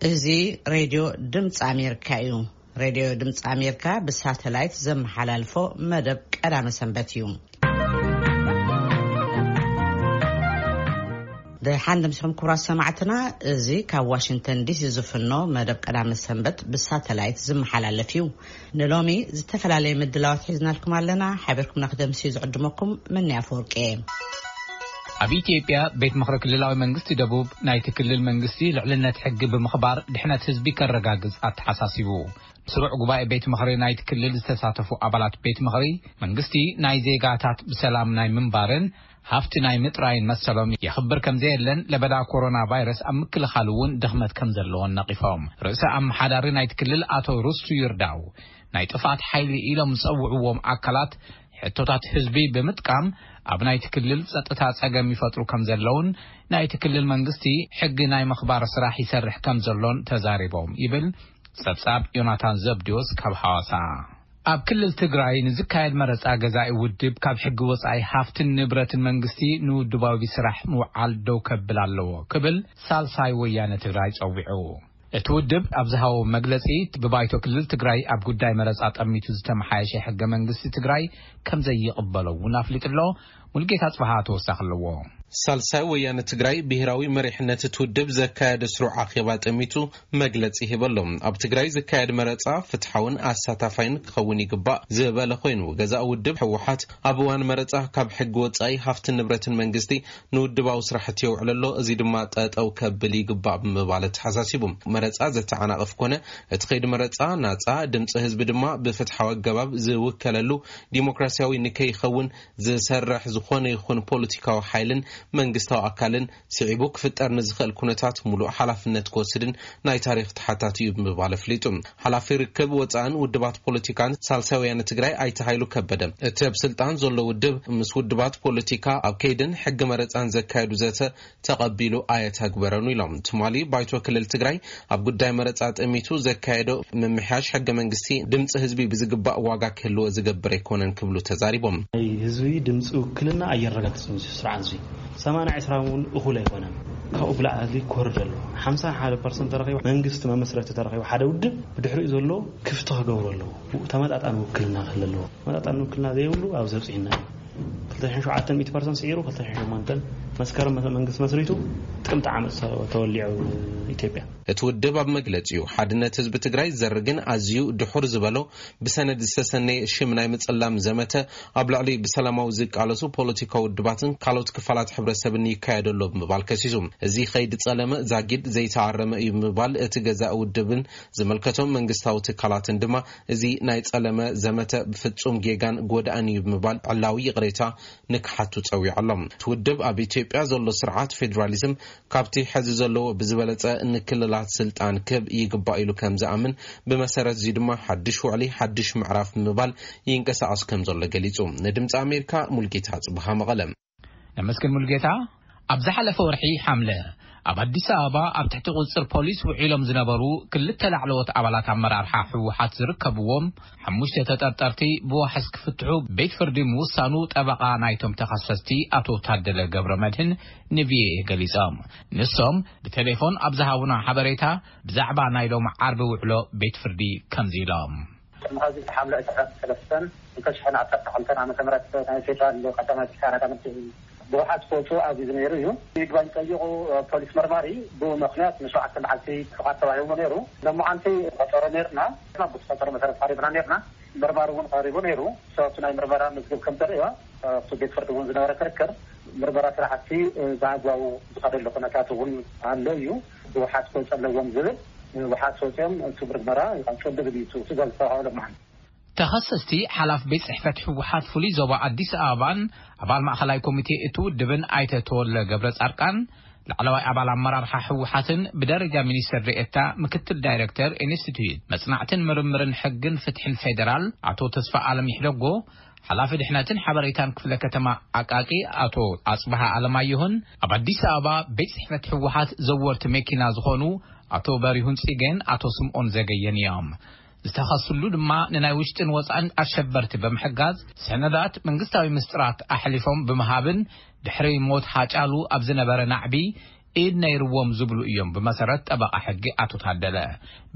እዚ ሬድዮ ድምፂ ኣሜሪካ እዩ። ሬድዮ ድምፂ ኣሜሪካ ብሳተላይት ዘመሓላልፎ መደብ ቀዳመ ሰንበት እዩ። ደሓን ደምሲኹም ክቡራት ሰማዕትና፣ እዚ ካብ ዋሽንግተን ዲሲ ዝፍኖ መደብ ቀዳመ ሰንበት ብሳተላይት ዝመሓላለፍ እዩ። ንሎሚ ዝተፈላለየ ምድላዋት ሒዝናልኩም ኣለና። ሓቢርኩምና ክደምሲ ዝዕድመኩም መኒ ኣፈወርቂ እየ። ኣብ ኢትዮጵያ ቤት ምኽሪ ክልላዊ መንግስቲ ደቡብ ናይቲ ክልል መንግስቲ ልዕልነት ሕጊ ብምኽባር ድሕነት ህዝቢ ከረጋግጽ ኣተሓሳሲቡ። ስሩዕ ጉባኤ ቤት ምኽሪ ናይቲ ክልል ዝተሳተፉ ኣባላት ቤት ምኽሪ መንግስቲ ናይ ዜጋታት ብሰላም ናይ ምንባርን ሃፍቲ ናይ ምጥራይን መሰሎም የኽብር ከም ዘየለን ለበዳ ኮሮና ቫይረስ ኣብ ምክልኻል እውን ድኽመት ከም ዘለዎን ነቒፎም። ርእሰ ኣመሓዳሪ ናይቲ ክልል ኣቶ ርስቱ ይርዳው ናይ ጥፍኣት ሓይሊ ኢሎም ዝጸውዕዎም ኣካላት ሕቶታት ህዝቢ ብምጥቃም ኣብ ናይቲ ክልል ጸጥታ ጸገም ይፈጥሩ ከም ዘለውን ናይቲ ክልል መንግስቲ ሕጊ ናይ ምኽባር ስራሕ ይሰርሕ ከም ዘሎን ተዛሪቦም ይብል ጸብጻብ ዮናታን ዘብዲዎስ ካብ ሐዋሳ። ኣብ ክልል ትግራይ ንዝካየድ መረጻ ገዛኢ ውድብ ካብ ሕጊ ወጻኢ ሃፍትን ንብረትን መንግስቲ ንውድባዊ ስራሕ ምውዓል ደው ከብል ኣለዎ ክብል ሳልሳይ ወያነ ትግራይ ጸዊዑ። እቲ ውድብ ኣብ ዝሃቦ መግለጺ ብባይቶ ክልል ትግራይ ኣብ ጉዳይ መረጻ ጠሚቱ ዝተመሓየሸ ሕገ መንግስቲ ትግራይ ከም ዘይቕበሎ እውን ኣፍሊጡ ኣሎ። ሙልጌታ ጽባሃ ተወሳኺ ኣለዎ። ሳልሳይ ወያነ ትግራይ ብሄራዊ መሪሕነት እቲ ውድብ ዘካየደ ስሩዕ ኣኼባ ጠሚቱ መግለጺ ሂበሎም። ኣብ ትግራይ ዝካየድ መረጻ ፍትሓውን ኣሳታፋይን ክኸውን ይግባእ ዝበለ ኮይኑ፣ ገዛእ ውድብ ህወሓት ኣብ እዋን መረጻ ካብ ሕጊ ወጻኢ ሃፍትን ንብረትን መንግስቲ ንውድባዊ ስራሕቲ የውዕል ኣሎ፣ እዚ ድማ ጠጠው ከብል ይግባእ ብምባል ተሓሳሲቡ። መረጻ ዘተዓናቕፍ ኮነ እቲ ከይዲ መረጻ ናጻ፣ ድምፂ ህዝቢ ድማ ብፍትሓዊ ኣገባብ ዝውከለሉ ዲሞክራሲያዊ ንከይኸውን ዝሰርሕ ዝኾነ ይኹን ፖለቲካዊ ሓይልን መንግስታዊ ኣካልን ስዒቡ ክፍጠር ንዝኽእል ኩነታት ሙሉእ ሓላፍነት ክወስድን ናይ ታሪኽ ተሓታቲ እዩ ብምባል ኣፍሊጡ። ሓላፊ ርክብ ወፃእን ውድባት ፖለቲካን ሳልሳይ ወያነ ትግራይ ኣይተ ሃይሉ ከበደ፣ እቲ ኣብ ስልጣን ዘሎ ውድብ ምስ ውድባት ፖለቲካ ኣብ ከይድን ሕጊ መረፃን ዘካየዱ ዘተ ተቐቢሉ ኣየተግበረን ኢሎም። ትማሊ ባይቶ ክልል ትግራይ ኣብ ጉዳይ መረፃ ጠሚቱ ዘካየዶ ምምሕያሽ ሕገ መንግስቲ ድምፂ ህዝቢ ብዝግባእ ዋጋ ክህልዎ ዝገብር ኣይኮነን ክብሉ ተዛሪቦም። ናይ ህዝቢ ድምፂ ውክልና ኣየረጋግፅን እዚ ስርዓት እዚ። ሰማንያ ዕስራ እውን እኹል ኣይኮነን። ካብኡ ብላዕሊ ክወርድ ኣለዎ። ሓምሳ ሓደ ፐርሰንት ተረኺቡ መንግስቲ መመስረቲ ተረኺቡ ሓደ ውድብ ብድሕሪኡ ዘሎ ክፍቲ ክገብሩ ኣለዎ። ተመጣጣኒ ውክልና ክህሉ ኣለዎ። ተመጣጣኒ ውክልና ዘይብሉ ኣብ ዘብፅሕና እዩ። ክልተ ሽሕን ሸውዓተን ሚእቲ ፐርሰንት ስዒሩ፣ ክልተ ሽሕን ሸሞንተን መስከረም መ-፣ መንግስቲ መስሪቱ ጥቅምቲ ዓመት ሰ-፣ ተወሊዑ ኢትዮጵያ። እቲ ውድብ ኣብ መግለጺኡ፣ ሓድነት ህዝቢ ትግራይ ዘርግን ኣዝዩ ድሑር ዝበሎ ብሰነድ ዝተሰነየ ሽም ናይ ምጽላም ዘመተ ኣብ ልዕሊ ብሰላማዊ ዝቃለሱ ፖለቲካዊ ውድባትን ካልኦት ክፋላት ሕብረተሰብን ይካየድ ኣሎ ብምባል ከሲሱ። እዚ ኸይዲ ጸለመ ዛጊድ ዘይተኣረመ እዩ ብምባል እቲ ገዛኢ ውድብን ዝምልከቶም መንግስታዊ ትካላትን ድማ እዚ ናይ ጸለመ ዘመተ ብፍጹም ጌጋን ጎዳእን እዩ ብምባል ዕላዊ ይቕሬታ ንክሓቱ ጸዊዖም። እቲ ውድብ ኣብ ኢትዮጵያ ዘሎ ስርዓት ፌዴራሊዝም ካብቲ ሕዚ ዘለዎ ብዝበለጸ ንክልላት ስልጣን ክህብ ይግባእ ኢሉ ከም ዝኣምን፣ ብመሰረት እዚ ድማ ሓድሽ ውዕሊ ሓድሽ ምዕራፍ ብምባል ይንቀሳቐስ ከም ዘሎ ገሊጹ። ንድምፂ ኣሜሪካ ሙልጌታ ጽብሃ መቐለ። ነመስግን ሙልጌታ። ኣብ ዝሓለፈ ወርሒ ሓምለ ኣብ ኣዲስ ኣበባ ኣብ ትሕቲ ቁጽጽር ፖሊስ ውዒሎም ዝነበሩ ክልተ ላዕለዎት ኣባላት ኣመራርሓ ህወሓት ዝርከብዎም ሓሙሽተ ተጠርጠርቲ ብዋሕስ ክፍትሑ ቤት ፍርዲ ምውሳኑ ጠበቓ ናይቶም ተኸሰስቲ ኣቶ ታደለ ገብረ መድህን ንቪኦኤ ገሊጾም። ንሶም ብቴሌፎን ኣብ ዝሃቡና ሓበሬታ ብዛዕባ ናይ ሎም ዓርቢ ውዕሎ ቤት ፍርዲ ከምዚ ኢሎም። ቅድሚ ሕዚ ሓምለ ዕስራን ሰለስተን ክልተ ሽሕን ዓሰርተ ክልተን ዓመተ ምህረት ናይ ፌደራል ቀዳማይ ኪሳራ ዳመት ብውሓት ክወፁ ኣዚዙ ነይሩ እዩ። ይግባኝ ጠይቑ ፖሊስ መርማሪ ብኡ ምኽንያት ንሸውዓተ መዓልቲ ፍቓድ ተዋሂብዎ ነይሩ። ሎማዓንቲ ቀጠሮ ነይርና፣ ብቲ ቀጠሮ መሰረት ቀሪብና ነይርና። መርማሪ እውን ቀሪቡ ነይሩ። ሰብቲ ናይ ምርመራ መዝገብ ከም ተርእዮ ኣብቲ ቤት ፍርዲ እውን ዝነበረ ክርክር ምርመራ ስራሕቲ ብኣግባቡ ዝኸደሉ ኩነታት እውን ኣሎ እዩ። ብውሓት ክወፁ ኣለዎም ዝብል ብውሓት ወፂኦም እቲ ምርመራ ይቐፅል ዝብል እዩ እቲ ትእዛዝ ዝተዋህበ ሎማዓንቲ። ተኸሰስቲ ሓላፍ ቤት ጽሕፈት ህወሓት ፍሉይ ዞባ ኣዲስ ኣበባን ኣባል ማእኸላይ ኮሚቴ እቲ ውድብን ኣይተ ተወለ ገብረ ጻድቃን፣ ላዕለዋይ ኣባል ኣመራርሓ ህወሓትን ብደረጃ ሚኒስትር ዴኤታ ምክትል ዳይሬክተር ኢንስቲትዩት መጽናዕትን ምርምርን ሕግን ፍትሕን ፌዴራል ኣቶ ተስፋ ኣለም ይሕደጎ፣ ሓላፊ ድሕነትን ሓበሬታን ክፍለ ከተማ ኣቃቂ ኣቶ ኣጽብሃ ኣለማየሁን፣ ኣብ ኣዲስ ኣበባ ቤት ጽሕፈት ህወሓት ዘወርቲ መኪና ዝኾኑ ኣቶ በሪሁን ጽጌን ኣቶ ስምኦን ዘገየን እዮም። ዝተኸስሉ ድማ ንናይ ውሽጥን ወጻእን ኣሸበርቲ ብምሕጋዝ፣ ሰነዳት መንግስታዊ ምስጢራት ኣሕሊፎም ብምሃብን ድሕሪ ሞት ሃጫሉ ኣብ ዝነበረ ናዕቢ ኢድ ነይርዎም ዝብሉ እዮም። ብመሰረት ጠበቓ ሕጊ ኣቶ ታደለ፣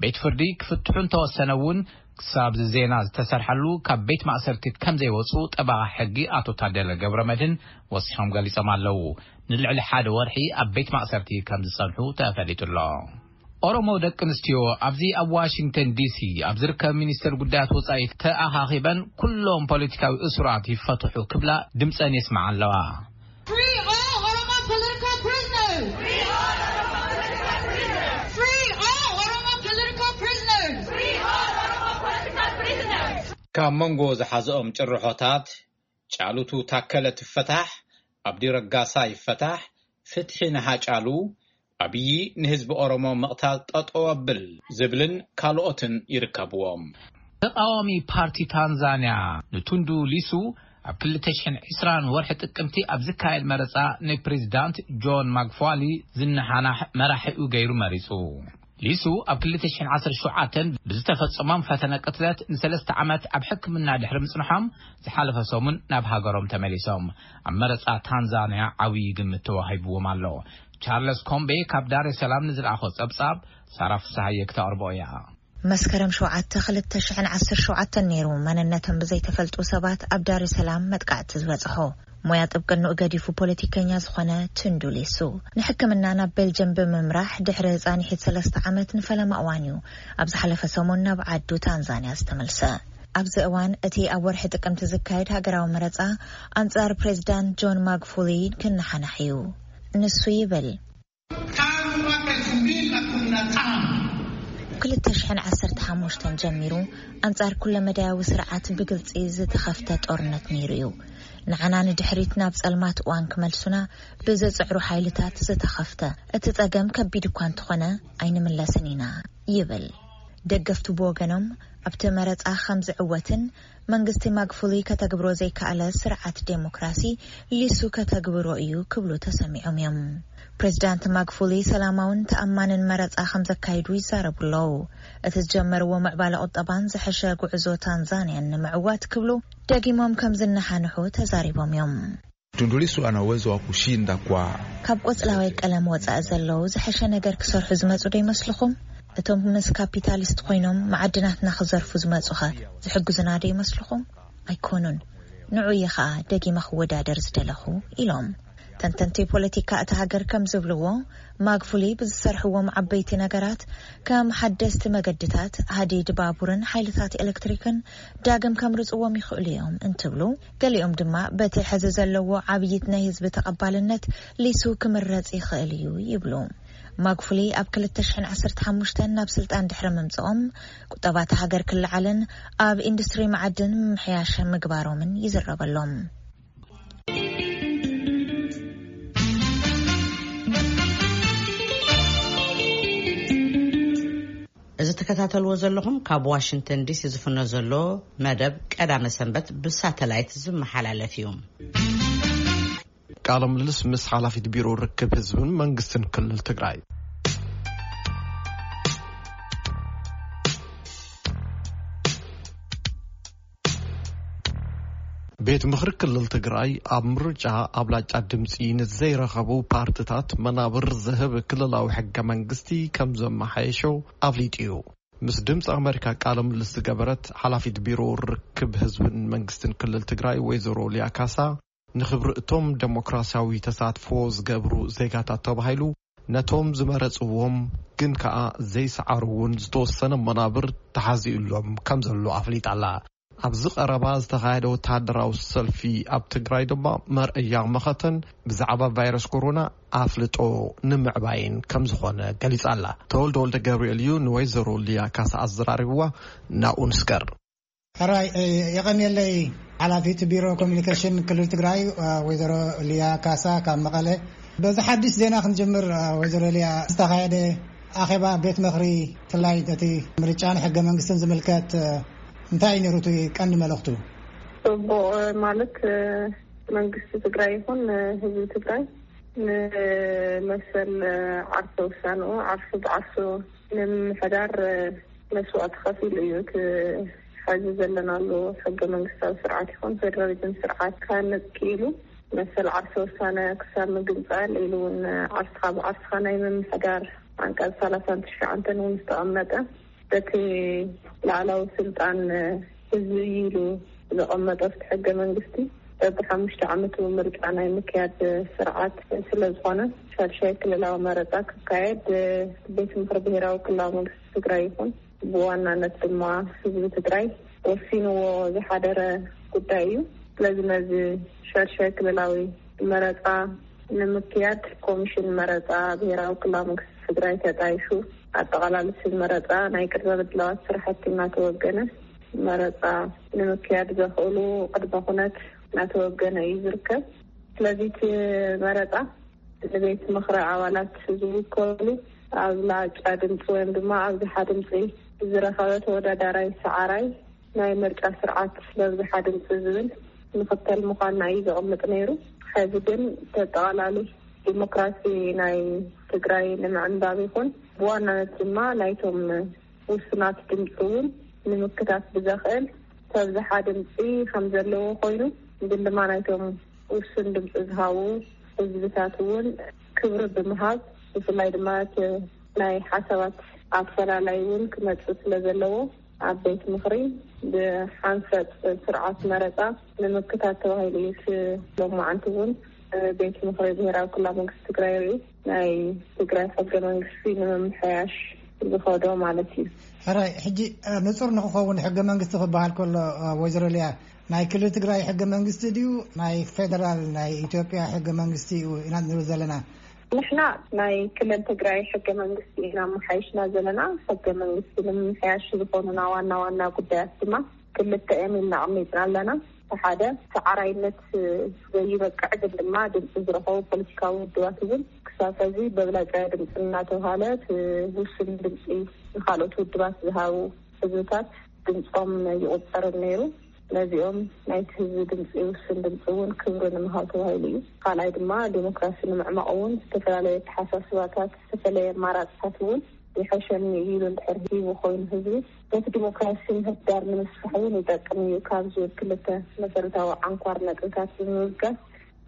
ቤት ፍርዲ ክፍትሑ እንተወሰነ እውን ክሳብ ዜና ዝተሰርሐሉ ካብ ቤት ማእሰርቲ ከም ዘይወፁ ጠበቓ ሕጊ ኣቶ ታደለ ገብረ መድህን ወሲኾም ገሊጾም ኣለዉ። ንልዕሊ ሓደ ወርሒ ኣብ ቤት ማእሰርቲ ከም ዝጸንሑ ተፈሊጡ ኣሎ። ኦሮሞ ደቂ ኣንስትዮ ኣብዚ ኣብ ዋሽንግተን ዲሲ ኣብ ዝርከብ ሚኒስቴር ጉዳያት ወጻኢ ተኣኻኺበን፣ ኩሎም ፖለቲካዊ እሱራት ይፈትሑ ክብላ ድምጸን የስምዓ ኣለዋ። Free all Oromo political prisoners! Free all Oromo political prisoners! ካብ መንጎ ዝሓዘኦም ጭርሖታት፣ ጫሉቱ ታከለ ትፈታሕ፣ ኣብዲ ረጋሳ ይፈታሕ፣ ፍትሒ ንሃጫሉ፣ ኣብዪ ንህዝቢ ኦሮሞ ምቕታል ጠጠው ኣብል ዝብልን ካልኦትን ይርከብዎም። ተቃዋሚ ፓርቲ ታንዛንያ ንቱንዱ ሊሱ ኣብ ክልተ ሽሕን ዕስራን ወርሒ ጥቅምቲ ኣብ ዝካየድ መረጻ ንፕሬዚዳንት ጆን ማግፋሊ ዝነሓናሕ መራሒኡ ገይሩ መሪጹ። ሊሱ ኣብ ክልተ ሽሕን ዓሰርተ ሸውዓተን ብዝተፈጸሞም ፈተነ ቅትለት ንሰለስተ ዓመት ኣብ ሕክምና ድሕሪ ምጽንሖም፣ ዝሓለፈ ሰሙን ናብ ሃገሮም ተመሊሶም። ኣብ መረጻ ታንዛንያ ዓብዪ ግምት ተዋሂብዎም ኣሎ። ቻርለስ ኮምቤ ካብ ዳሬ ሰላም ንዝለኣኾ ጸብጻብ ሳራ ፍስሃየ ክተቕርቦ እያ። መስከረም ሸውዓተ ክልተ ሽሕን ዓሰርተ ሸውዓተን ነይሩ መንነቶም ብዘይተፈልጡ ሰባት ኣብ ዳሬ ሰላም መጥቃዕቲ ዝበጽሖ። ሞያ ጥብቅንኡ ገዲፉ ፖለቲከኛ ዝኾነ ቱንዱ ሊሱ፣ ንሕክምና ናብ ቤልጅየም ብምምራሕ ድሕሪ ጻንሒት ሰለስተ ዓመት ንፈለማ እዋን እዩ ኣብ ዝሓለፈ ሰሙን ናብ ዓዱ ታንዛንያ ዝተመልሰ። ኣብዚ እዋን እቲ ኣብ ወርሒ ጥቅምቲ ዝካየድ ሃገራዊ መረጻ ኣንጻር ፕሬዚዳንት ጆን ማግፉሊ ክነሓናሕ እዩ። ንሱ ይብል፣ ክልተ ሽሕን ዓሰርተ ሓሙሽተን ጀሚሩ ኣንጻር ኩለመዳያዊ ስርዓት ብግልጺ ዝተኸፍተ ጦርነት ነይሩ እዩ። ንዓና ንድሕሪት ናብ ጸልማት እዋን ክመልሱና ብዝጽዕሩ ሓይልታት ዝተኸፍተ። እቲ ጸገም ከቢድ እኳ እንተኾነ ኣይንምለስን ኢና ይብል። ደገፍቱ ብወገኖም ኣብቲ መረጻ ከም ዝዕወትን መንግስቲ ማግፉሊ ከተግብሮ ዘይከኣለ ስርዓት ዴሞክራሲ ሊሱ ከተግብሮ እዩ ክብሉ ተሰሚዖም እዮም። ፕሬዚዳንት ማግፉሊ ሰላማውን ተኣማንን መረጻ ከም ዘካይዱ ይዛረቡ ኣለዉ። እቲ ዝጀመርዎ ምዕባለ ቁጠባን ዝሐሸ ጉዕዞ ታንዛንያን ንምዕዋት ክብሉ ደጊሞም ከም ዝነሓንሑ ተዛሪቦም እዮም። Tundu Lissu ana uwezo wa kushinda kwa ካብ ቆጽላዋይ ቀለም ወጻኢ ዘለዉ ዝሐሸ ነገር ክሰርሑ ዝመጹ ዶ ይመስልኹም? እቶም ምስ ካፒታሊስት ኮይኖም መዓድናትና ክዘርፉ ዝመጹኸ ዝሕግዙና ዶ ይመስልኹም? ኣይኮኑን። ንዑ እየ ኸኣ ደጊመ ክወዳደር ዝደለኹ ኢሎም። ተንተንቲ ፖለቲካ እታ ሃገር ከም ዝብልዎ፣ ማግፉሊ ብዝሰርሕዎም ዓበይቲ ነገራት ከም ሓደስቲ መገድታት፣ ሃዲድ ባቡርን ሓይልታት ኤሌክትሪክን ዳግም ከምርጽዎም ይኽእሉ እዮም እንትብሉ፣ ገሊኦም ድማ በቲ ሕዚ ዘለዎ ዓብይት ናይ ህዝቢ ተቐባልነት ሊሱ ክምረጽ ይኽእል እዩ ይብሉ። ማግፉሊ ኣብ ክልተ ሽሕን ዓሰርተ ሓሙሽተን ናብ ስልጣን ድሕሪ ምምጽኦም ቁጠባ እታ ሃገር ክለዓልን ኣብ ኢንዱስትሪ መዓድን ምምሕያሽ ምግባሮምን ይዝረበሎም። እዚ ትከታተልዎ ዘለኹም ካብ ዋሽንግተን ዲሲ ዝፍኖ ዘሎ መደብ ቀዳመ ሰንበት ብሳተላይት ዝመሓላለፍ እዩ። ቃለ ምልልስ ምስ ሓላፊት ቢሮ ርክብ ህዝብን መንግስትን ክልል ትግራይ። ቤት ምኽሪ ክልል ትግራይ ኣብ ምርጫ ኣብላጫ ድምፂ ንዘይረኸቡ ፓርትታት መናብር ዝህብ ክልላዊ ሕገ መንግስቲ ከም ዘመሓየሾ ኣፍሊጡ እዩ። ምስ ድምፂ ኣመሪካ ቃለ ምልልስ ዝገበረት ሓላፊት ቢሮ ርክብ ህዝብን መንግስትን ክልል ትግራይ ወይዘሮ ሊያ ካሳ፣ ንኽብሪ እቶም ደሞክራሲያዊ ተሳትፎ ዝገብሩ ዜጋታት ተባሂሉ ነቶም ዝመረጽዎም ግን ከኣ ዘይሰዓሩ እውን ዝተወሰነ መናብር ተሓዚኡሎም ከም ዘሎ ኣፍሊጣ ኣላ። ኣብዚ ቀረባ ዝተኻየደ ወተሃደራዊ ሰልፊ ኣብ ትግራይ ድማ መርኣያ መኸተን ብዛዕባ ቫይረስ ኮሮና ኣፍልጦ ንምዕባይን ከም ዝኾነ ገሊጻ ኣላ። ተወልደ ወልደ ገብርኤል እዩ ንወይዘሮ ሊያ ካሳ ኣዘራሪብዋ። ናብኡ ንስገር። ሕራይ፣ እ፣ የቐንየለይ ሓላፊት ቢሮ ኮሚኒኬሽን ክልል ትግራይ፣ እ፣ ወይዘሮ ሊያ ካሳ ካብ መቐለ። በዚ ሓድሽ ዜና ክንጅምር፣ እ፣ ወይዘሮ ሊያ፣ ዝተኻየደ ኣኼባ ቤት ምኽሪ፣ ብፍላይ እቲ ምርጫን ሕገ መንግስትን ዝምልከት፣ እ፣ እንታይ እዩ ነይሩ እቲ ቀንዲ መልእኽቱ? ጽቡቕ፣ እ፣ ማለት፣ እ፣ መንግስቲ ትግራይ ይኹን፣ እ፣ ህዝቢ ትግራይ ንመሰል፣ እ፣ ዓርሰ ውሳንኡ ዓርሱ ብዓርሱ ንምምሕዳር፣ እ፣ መስዋእቲ ከፊሉ እዩ። እቲ ሐዚ ዘለናሉ ሕገ መንግስታዊ ስርዓት ይኹን ፌደራሊዝም ስርዓት ክሃነፅ ክኢሉ። መሰል ዓርሰ ውሳነ ክሳብ ምግንጻል ኢሉ እውን ዓርስኻ ብዓርስኻ ናይ ምምሕዳር ዓንቀጽ ሰላሳን ትሽዓንተን እውን ዝተቐመጠ በቲ ላዕላዊ ስልጣን ህዝቢ እዩ ኢሉ ዘቐመጠ ኣብቲ ሕገ መንግስቲ በብሓሙሽተ ዓመቱ ምርጫ ናይ ምክያድ ስርዓት ስለ ዝኾነ ሻድሻይ ክልላዊ መረፃ ክካየድ ቤት ምኽሪ ብሄራዊ ክልላዊ መንግስቲ ትግራይ ይኹን ብዋናነት ድማ ህዝቢ ትግራይ ወሲንዎ ዝሓደረ ጉዳይ እዩ። ስለዚ ነዚ ሻድሻይ ክልላዊ መረፃ ንምክያድ ኮሚሽን መረፃ ብሄራዊ ክልላዊ መንግስቲ ትግራይ ተጣይሹ ኣጠቓላሊ ስም መረፃ ናይ ቅድመ ምድላዋት ስራሕቲ እናተወገነ መረፃ ንምክያድ ዘኽእሉ ቅድመ ኩነት እናተወገነ እዩ ዝርከብ። ስለዚ እቲ መረፃ ንቤት ምኽሪ ኣባላት ዝውከሉ ኣብላጫ ድምፂ ወይም ድማ ኣብዝሓ ድምፂ ዝረኸበ ተወዳዳራይ ሰዓራይ ናይ ምርጫ ስርዓት ለብዝሓ ድምፂ ዝብል ንኽተል ምዃንና እዩ ዘቕምጥ ነይሩ። ሕዚ ግን ተጠቓላሊ ዲሞክራሲ ናይ ትግራይ ንምዕንባብ ይኹን ብዋናነት ድማ ናይቶም ውሱናት ድምፂ እውን ንምክታት ብዘኽእል ተብዝሓ ድምፂ ከም ዘለዎ ኮይኑ ግን ድማ ናይቶም ውሱን ድምፂ ዝሃቡ ህዝብታት እውን ክብሪ ብምሃብ ብፍላይ ድማ እቲ ናይ ሓሳባት ኣፈላላይ እውን ክመፅእ ስለ ዘለዎ ኣብ ቤት ምኽሪ ብሓንፈፅ ስርዓት መረፃ ንምክታት ተባሂሉ እዩ። ሎማዓንቲ እውን ቤት ምኽሪ ብሄራዊ ክልላዊ መንግስቲ ትግራይ ርኢ ናይ ትግራይ ሕገ መንግስቲ ንምምሕያሽ ዝኸዶ ማለት እዩ። ሕራይ ሕጂ ንፁር ንክኸውን ሕገ መንግስቲ ክበሃል ከሎ ወይዘሮ ሊያ ናይ ክልል ትግራይ ሕገ መንግስቲ ድዩ ናይ ፌደራል ናይ ኢትዮጵያ ሕገ መንግስቲ እዩ ኢና ንብል ዘለና? ንሕና ናይ ክልል ትግራይ ሕገ መንግስቲ ኢና መሓይሽና ዘለና። ሕገ መንግስቲ ንምምሕያሽ ዝኾኑና ዋና ዋና ጉዳያት ድማ ክልተ እዮም ኢልና ኣቕሚጥና ኣለና። ሓደ ሰዓራይነት ዘይበቅዕ ግን ድማ ድምፂ ዝረኸቡ ፖለቲካዊ ውድባት እውን ክሳብ ሕዚ በብላጫ ድምፂ እናተባሃለ ውሱን ድምፂ ንካልኦት ውድባት ዝሃቡ ህዝብታት ድምፆም ይቁፀርን ነይሩ። ነዚኦም ናይቲ ህዝቢ ድምፂ ውሱን ድምፂ እውን ክብሪ ንምሃብ ተባሂሉ እዩ። ካልኣይ ድማ ዲሞክራሲ ንምዕማቕ እውን ዝተፈላለዩ ኣተሓሳስባታት ዝተፈላለዩ ኣማራፅታት እውን ይሐሸኒ እዩ ኢሉ እንድሕር ሂቡ ኮይኑ ህዝቢ ነቲ ዲሞክራሲ ምህዳር ንምስፋሕ እውን ይጠቅም እዩ ካብ ዝብል ክልተ መሰረታዊ ዓንኳር ነጥብታት ብምብጋስ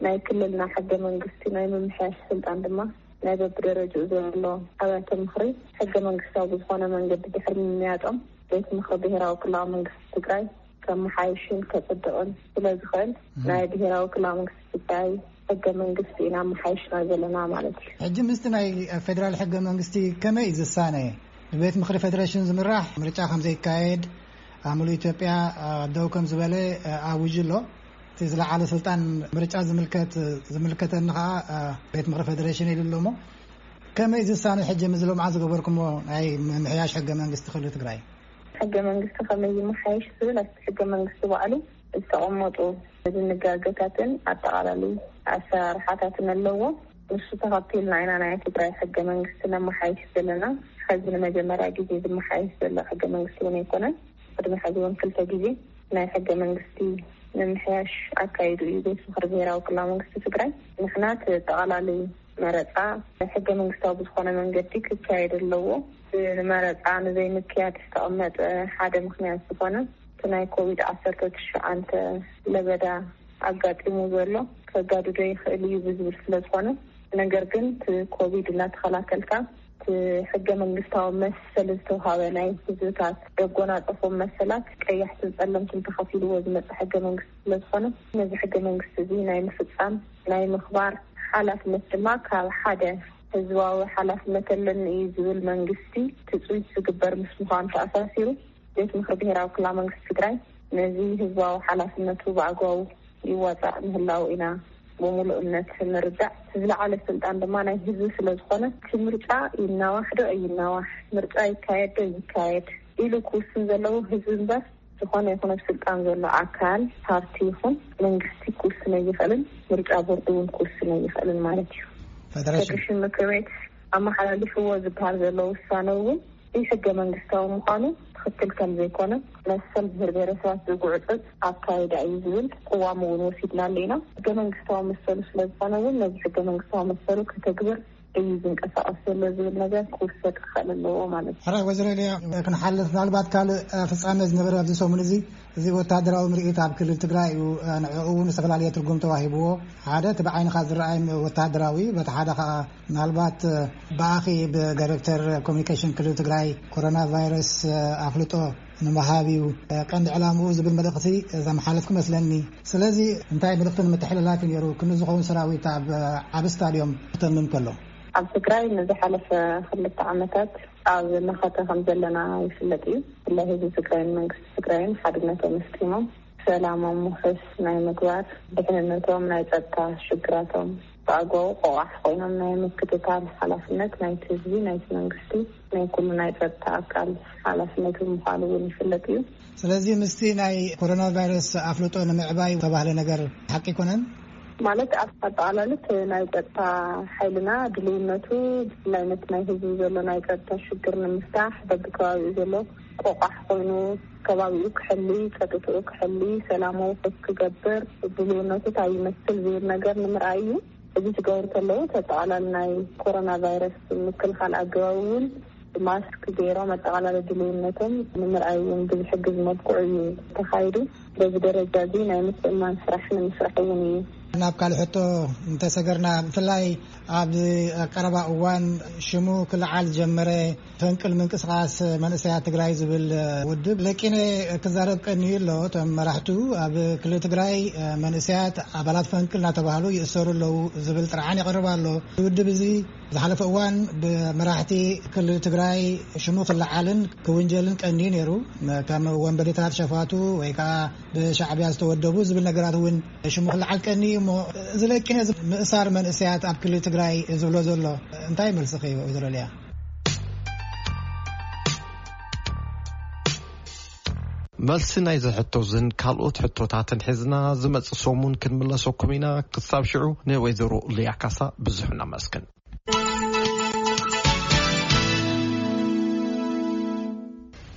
ናይ ክልልና ሕገ መንግስቲ ናይ ምምሕያሽ ስልጣን ድማ ናይ በብደረጅኡ ዘሎ ኣብያተ ምኽሪ ሕገ መንግስታዊ ብዝኾነ መንገዲ ድሕሪ ምምያጦም ቤት ምኽሪ ብሄራዊ ክልላዊ መንግስቲ ትግራይ ከመሓይሽን ከፅድቕን ስለ ዝኽእል ናይ ብሄራዊ ክልላዊ መንግስቲ ትግራይ ሕገ መንግስቲ ኢና መሓይሽና ዘለና ማለት እዩ። ሕጂ ምስቲ ናይ ፌደራል ሕገ መንግስቲ ከመይ እዩ ዝሳነ? ብቤት ምኽሪ ፌደሬሽን ዝምራሕ ምርጫ ከም ዘይካየድ ኣብ ሙሉእ ኢትዮጵያ ደው ከም ዝበለ ኣውጁ ኣሎ። እቲ ዝለዓለ ስልጣን ምርጫ ዝምልከት ዝምልከተኒ ከዓ ቤት ምኽሪ ፌደሬሽን ኢሉ ኣሎ። እሞ ከመይ ዝሳነ ሕጂ ምዝሎ መዓዝ ዝገበርኩሞ ናይ ምምሕያሽ ሕገ መንግስቲ ክልል ትግራይ? ሕገ መንግስቲ ከመይ ይመሓየሽ ዝብል ኣብቲ ሕገ መንግስቲ ባዕሉ ዝተቐመጡ ድንጋገታትን ኣጠቓላሊ ኣሰራርሓታትን ኣለዎ። ንሱ ተኸቲልና ኢና ናይ ትግራይ ሕገ መንግስቲ ነመሓይሽ ዘለና። ሕዚ ንመጀመርያ ግዜ ዝመሓየሽ ዘሎ ሕገ መንግስቲ እውን ኣይኮነን። ቅድሚ ሕዚ እውን ክልተ ግዜ ናይ ሕገ መንግስቲ ምምሕያሽ ኣካይዱ እዩ ቤት ምኽሪ ብሄራዊ ክልላዊ መንግስቲ ትግራይ። ንሕና እቲ ኣጠቓላሊ መረፃ ሕገ መንግስታዊ ብዝኾነ መንገዲ ክካየድ ኣለዎ። ንመረፃ ንዘይምክያድ ዝተቐመጠ ሓደ ምኽንያት ዝኾነ እቲ ናይ ኮቪድ ዓሰርተ ትሽዓተ ለበዳ ኣጋጢሙ ዘሎ ከጋድዶ ይኽእል እዩ ብዝብል ስለ ዝኾነ፣ ነገር ግን እቲ ኮቪድ እናተኸላከልካ እቲ ሕገ መንግስታዊ መሰል ዝተውሃበ ናይ ህዝብታት ዘጎናፀፎም መሰላት ቀያሕትን ፀለምትን ተኸፊልዎ ዝመፀ ሕገ መንግስቲ ስለ ዝኾነ ነዚ ሕገ መንግስቲ እዚ ናይ ምፍፃም ናይ ምኽባር ሓላፍነት ድማ ካብ ሓደ ህዝባዊ ሓላፍነት ኣለኒ እዩ ዝብል መንግስቲ ትፅቢት ዝግበር ምስ ምዃኑ ተኣሳሲሩ ቤት ምኽሪ ብሄራዊ ክልላዊ መንግስቲ ትግራይ ነዚ ህዝባዊ ሓላፍነቱ ብኣግባቡ ይዋፃእ ምህላው ኢና ብሙሉእ እምነት ንርዳእ። ዝለዓለ ስልጣን ድማ ናይ ህዝቢ ስለ ዝኾነ እቲ ምርጫ ይናዋሕ ዶ ኣይናዋሕ፣ ምርጫ ይካየድ ዶ ይካየድ ኢሉ ክውስን ዘለዎ ህዝቢ እምበር ዝኾነ ይኹን ኣብ ስልጣን ዘሎ ኣካል ፓርቲ ይኹን መንግስቲ ክውስን ኣይኽእልን። ምርጫ ቦርድ እውን ክውስን ኣይኽእልን ማለት እዩ። ፌደሬሽን ምክር ቤት ኣመሓላሊፍዎ ዝበሃል ዘሎ ውሳነ እውን ሕገ መንግስታዊ ምዃኑ ትኽክል ከም ዘይኮነ መሰል ብሄር ብሄረሰባት ዝጉዕፅፅ ኣካይዳ እዩ ዝብል ቅዋም እውን ወሲድናሉ ኢና። ሕገ መንግስታዊ መሰሉ ስለ ዝኾነ እውን ነዚ ሕገ መንግስታዊ መሰሉ ከተግብር እዩ ዝንቀሳቐስ ዘሎ ዝብል ነገር ክውሰድ ክኽእል ኣለዎ ማለት እዩ። ሕራይ ወይዘሮ ኤልያ፣ ክንሓልፍ ምናልባት ካልእ ፍጻመ ዝነበረ ኣብዚ ሰሙን እዚ፣ እዚ ወታደራዊ ምርኢት ኣብ ክልል ትግራይ እዩ። ንዕኡ እውን ዝተፈላለየ ትርጉም ተዋሂብዎ። ሓደ እቲ ብዓይንኻ ዝረኣይ ወታደራዊ፣ በቲ ሓደ ከዓ ምናልባት ብኣኺ ብዳይሬክተር ኮሚኒኬሽን ክልል ትግራይ ኮሮና ቫይረስ ኣፍልጦ ንምሃብ እዩ ቀንዲ ዕላምኡ ዝብል መልእኽቲ ዘመሓለፍኩ መስለኒ። ስለዚ እንታይ መልእኽቲ ንምትሕልላፍ እዩ ነይሩ ክንዲ ዝኸውን ሰራዊት ኣብ ዓቢ ስታድዮም ክተምም ከሎ? ኣብ ትግራይ ንዝሓለፈ ክልተ ዓመታት ኣብ መኸተ ከም ዘለና ይፍለጥ እዩ። ብፍላይ ህዝቢ ትግራይን መንግስቲ ትግራይን ሓድነቶም ኣስጢሞም ሰላሞም ውሑስ ናይ ምግባር፣ ድሕንነቶም፣ ናይ ጸጥታ ሽግራቶም ብኣግባቡ ቆቋሕ ኮይኖም ናይ ምክትታል ሓላፍነት ናይቲ ህዝቢ፣ ናይቲ መንግስቲ፣ ናይ ኩሉ ናይ ጸጥታ ኣካል ሓላፍነት ብምዃኑ እውን ይፍለጥ እዩ። ስለዚ ምስቲ ናይ ኮሮና ቫይረስ ኣፍልጦ ንምዕባይ ተባህለ ነገር ሓቂ ኣይኮነን? ማለት ኣብ ኣጠቓላልት ናይ ጸጥታ ሓይልና ድልውነቱ ብፍላይ ነቲ ናይ ህዝቢ ዘሎ ናይ ጸጥታ ሽግር ንምፍታሕ በብከባቢኡ ዘሎ ቆቋሕ ኮይኑ ከባቢኡ ክሕሊ፣ ጸጥትኡ ክሕሊ፣ ሰላሙ ክፍ ክገብር ድልውነቱ እንታይ ይመስል ዝብል ነገር ንምርኣይ እዩ። እዚ ክገብሩ ከለዉ ተጠቓላሊ ናይ ኮሮና ቫይረስ ምክልኻል ኣገባብ እውን ማስክ ገይሮም ኣጠቓላሊ ድልውነቶም ንምርኣይ እውን ብዝሕግዝ መልክዑ እዩ ተኻይዱ። በዚ ደረጃ እዚ ናይ ምትእምማን ስራሕ ንምስራሕ እውን እዩ። ናብ ካልእ ሕቶ እንተሰገርና፣ ብፍላይ ኣብ ቀረባ እዋን ሽሙ ክለዓል ዝጀመረ ፈንቅል ምንቅስቃስ መንእሰያት ትግራይ ዝብል ውድብ ለቂነ ክዛረብ ቀንዩ ኣሎ። እቶም መራሕቱ ኣብ ክልል ትግራይ መንእሰያት ኣባላት ፈንቅል እናተባህሉ ይእሰሩ ኣለዉ ዝብል ጥርዓን ይቐርብ ኣሎ። እዚ ውድብ እዚ ዝሓለፈ እዋን ብመራሕቲ ክልል ትግራይ ሽሙ ክለዓልን ክውንጀልን ቀንዩ ነይሩ። ከም ወንበዴታት ሸፋቱ ወይ ከዓ ብሻዕብያ ዝተወደቡ ዝብል ነገራት እውን ሽሙ ክለዓል ቀንዩ እሞ፣ እዚ ለቂነ እዚ ምእሳር መንእሰያት ኣብ ክልል ትግራይ ዝብሎ ዘሎ እንታይ መልስኺ እዩ ወይዘሮ ሊያ? መልሲ ናይዚ ሕቶዝን ካልኦት ሕቶታትን ሒዝና ዝመጽእ ሰሙን ክንምለሰኩም ኢና። ክሳብ ሽዑ ንወይዘሮ ሊያ ካሳ ብዙሕ ነመስግን።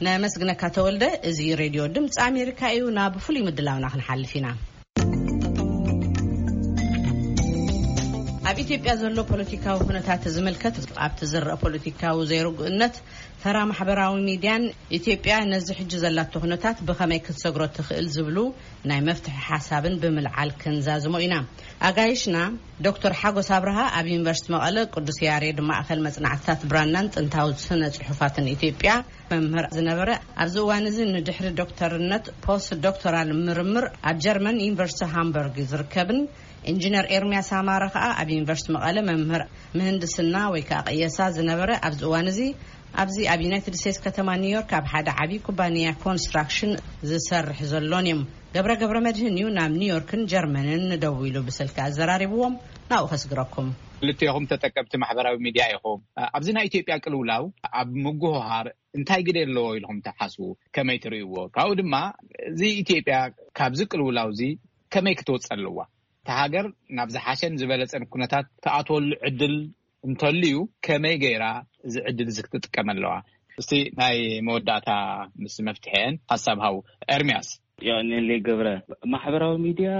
ነመስግነካ ተወልደ። እዚ ሬድዮ ድምፂ ኣሜሪካ እዩ። ናብ ፍሉይ ምድላውና ክንሓልፍ ኢና። ኣብ ኢትዮጵያ ዘሎ ፖለቲካዊ ኩነታት ዝምልከት ኣብቲ ዝረአ ፖለቲካዊ ዘይርጉእነት ተራ ማሕበራዊ ሚድያን ኢትዮጵያ ነዚ ሕጂ ዘላቶ ኩነታት ብኸመይ ክትሰግሮ ትኽእል ዝብሉ ናይ መፍትሒ ሓሳብን ብምልዓል ክንዛዝሞ ኢና። ኣጋይሽና ዶክተር ሓጎስ ኣብርሃ ኣብ ዩኒቨርሲቲ መቐለ ቅዱስ ያሬድ ማእኸል መጽናዕትታት ብራናን ጥንታዊ ስነ ጽሑፋትን ኢትዮጵያ መምህር ዝነበረ፣ ኣብዚ እዋን እዚ ንድሕሪ ዶክተርነት ፖስት ዶክተራል ምርምር ኣብ ጀርመን ዩኒቨርሲቲ ሃምበርግ ዝርከብን ኢንጂነር ኤርሚያስ ኣማረ ከኣ ኣብ ዩኒቨርሲቲ መቐለ መምህር ምህንድስና ወይ ከኣ ቅየሳ ዝነበረ፣ ኣብዚ እዋን እዚ ኣብዚ ኣብ ዩናይትድ ስቴትስ ከተማ ኒውዮርክ ኣብ ሓደ ዓብዪ ኩባንያ ኮንስትራክሽን ዝሰርሕ ዘሎን እዮም። ገብረ ገብረ መድህን እዩ ናብ ኒውዮርክን ጀርመንን ደዊሉ ብስልኪ ኣዘራሪብዎም። ናብኡ ከስግረኩም። ክልቴኹም ተጠቀምቲ ማሕበራዊ ሚድያ ኢኹም። ኣብዚ ናይ ኢትዮጵያ ቅልውላው ኣብ ምጉህሃር እንታይ ግደ ኣለዎ ኢልኹም ትሓስቡ? ከመይ ትርእይዎ? ካብኡ ድማ እዚ ኢትዮጵያ ካብዚ ቅልውላው እዚ ከመይ ክትወጽእ ኣለዋ? እታ ሃገር ናብ ዝሓሸን ዝበለጸን ኩነታት ትኣትወሉ ዕድል እንተልዩ ከመይ ገይራ እዚ ዕድል እዚ ክትጥቀም ኣለዋ? እስቲ ናይ መወዳእታ ምስ መፍትሒአን ሓሳብ ሃቡ። ኤርሚያስ። የቐንየለይ ገብረ። ማሕበራዊ ሚድያ